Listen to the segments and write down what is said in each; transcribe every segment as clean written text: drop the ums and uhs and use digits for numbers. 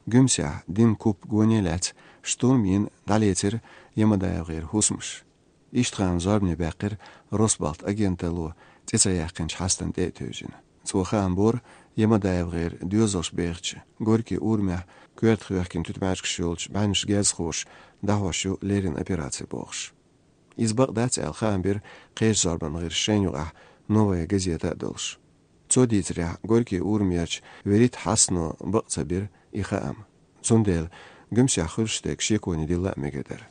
Gümsya din kup gonelet shturmin daletir yemada غير husmuş. İştğan zorbne bakir Rosbalt agentelu tesa yakınç hastan de tözün. Soğan bor yemada غير düzoş beğçi. Gorki urmeh Kört хвяхкин тутмашкшулч банш гезхош дахошу лерин операции бохш. Избак дац алхамбер кеш зарбан гыр шенюга новая газета долш. Цодитря горки урмерч верит хасно бакцабир ихаам. Зундел гымся хурштек шекони дилла мегедер.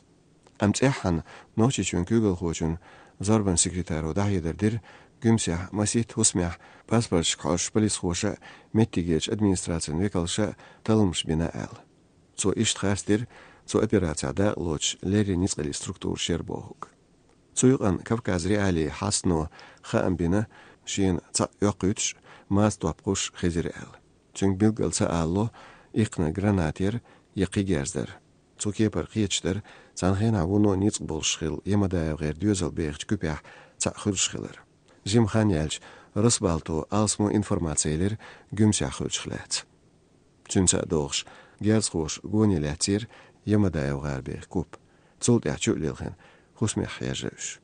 Амцехан ночи чун күгел хочун зарбан секретару дахидердир Gümsya masit husmya pasport koş polis hoşa mettigeç administrasyon vekalşa talımş bina al. So iştxastir so operatsiyada loç leri nizqali struktur şerbohuk. Soyuqan Kavkaz reali hasno xaam bina şin ça yoqüç mas topquş xizir al. Çünkü bilgalsa allo iqna granatier yaqi gezder. So kepar qiyeçder zanxena vuno nizq bolşxil yemada g'er düzel beğç küpah ça xurşxiler. Jimxan yelç, Rosbalto alsmo informatsiyalar gümsya xulçxlat. Çünsa doğuş, gerzxoş gonilatir yemada evgarbe kup. Zult yaxçulilxin, husmih yajıш.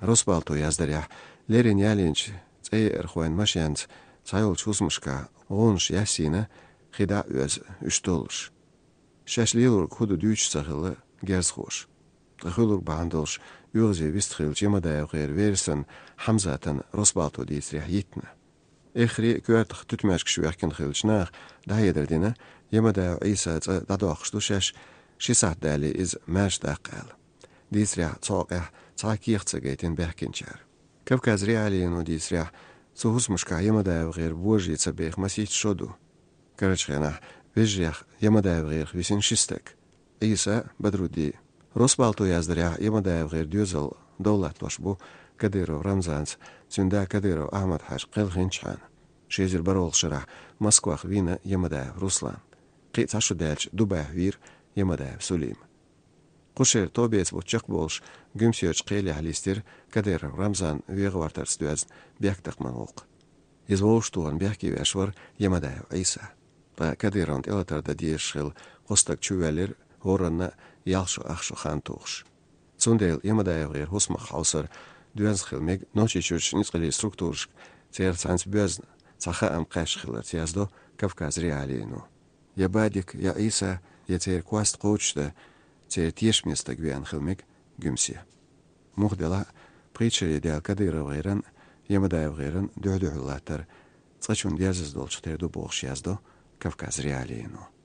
Rosbalto yazdarya, lerin yalinç, tsay erxoyn maşyant, tsayolç husmushka, onş yasina, xida öz üştolş. Şaşlilur kudu düç saxılı gerzxoş. Xulur bandolş, Юзе вистхил чемада غير вيرسن حمزة رصباطو دي سريحيتنا. إخري كوارتخ تتماشك شو يحكن خيلشناخ ده يدردنا يمدا عيسى دادوخشتو شاش شي ساعت دالي إز ماش داقال. دي سريح تصاقح تصاكيخ تساقيتين بحكينشار. كفكاز ريالينو دي سريح سوهس مشكا يمدا غير بوجي تسابيخ مسيت شودو. كرچخيناح بيجيخ يمدا غير ويسين شستك. عيسى بدرودي Rosbalto yazdarya yemada غير düzel devletloş bu Kadirov Ramzans Zünda Kadirov Ahmet Haj Qilxinçhan Şezir Barol Şırah Moskva Vina yemada Ruslan Qitsaşu delç Dubay vir yemada Sulim Quşer Tobets bu çık bolş Gümsiyöç qeli halistir Kadirov Ramzan veğvartars düz byaktaqman oq Izvolştuğan byakki veşvar yemada İsa Ba Kadirov elatarda diyeşil qostak çüvelir Horanna yaxşı axşı xantuğş. Zundel yemada evgir husmaq hausar düzxilmeg noçi çürç nizqili strukturş tsersans büz saxa am qaşxılar tiyazdo Kavkaz realiynu. Yabadik ya İsa yetser kwast qoçda tser tieşmesta gvyan xilmeg gümsiya. Muhdela priçeri del Kadirov g'iran yemada evgirin düdühulatar tsaçun diyazız dolç terdu boğş yazdo Kavkaz realiynu.